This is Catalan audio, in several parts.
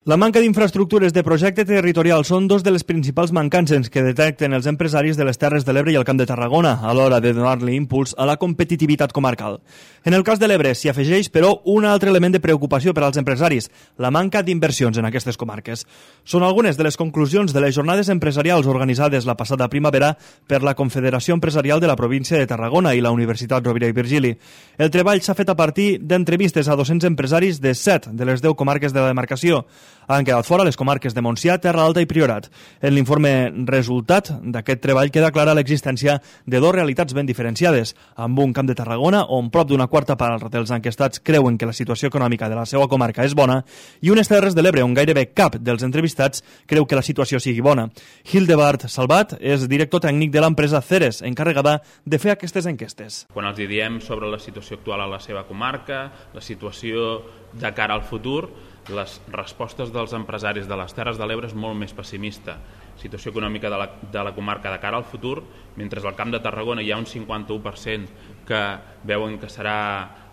La manca d'infraestructures de projecte territorial són dos de les principals mancances que detecten els empresaris de les Terres de l'Ebre i el Camp de Tarragona a l'hora de donar-li impuls a la competitivitat comarcal. En el cas de l'Ebre s'hi afegeix, però, un altre element de preocupació per als empresaris, la manca d'inversions en aquestes comarques. Són algunes de les conclusions de les jornades empresarials organitzades la passada primavera per la Confederació Empresarial de la província de Tarragona i la Universitat Rovira i Virgili. El treball s'ha fet a partir d'entrevistes a 200 empresaris de 7 de les 10 comarques de la demarcació. Han quedat fora les comarques de Montsià, Terra Alta i Priorat. En l'informe resultat d'aquest treball queda clara l'existència de dues realitats ben diferenciades, amb un Camp de Tarragona on prop d'una quarta part dels enquestats creuen que la situació econòmica de la seva comarca és bona i unes Terres de l'Ebre on gairebé cap dels entrevistats creu que la situació sigui bona. Hildebard Salvat és director tècnic de l'empresa Ceres, encarregada de fer aquestes enquestes. Quan els diem sobre la situació actual a la seva comarca, la situació de cara al futur, les respostes dels empresaris de les Terres de l'Ebre és molt més pessimista. Situació econòmica de la comarca de cara al futur, mentre al Camp de Tarragona hi ha un 51% que veuen que serà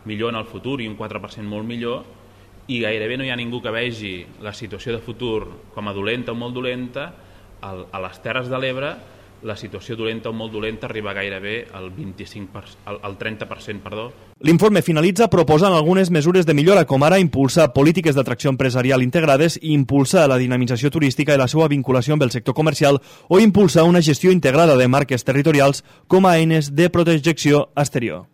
millor en el futur i un 4% molt millor, i gairebé no hi ha ningú que vegi la situació de futur com a dolenta o molt dolenta. A les Terres de l'Ebre la situació dolenta o molt dolenta arriba gairebé al 30%. L'informe finalitza proposant algunes mesures de millora, com ara impulsar polítiques d'atracció empresarial integrades, impulsar la dinamització turística i la seva vinculació amb el sector comercial o impulsar una gestió integrada de marques territorials com a eines de protecció exterior.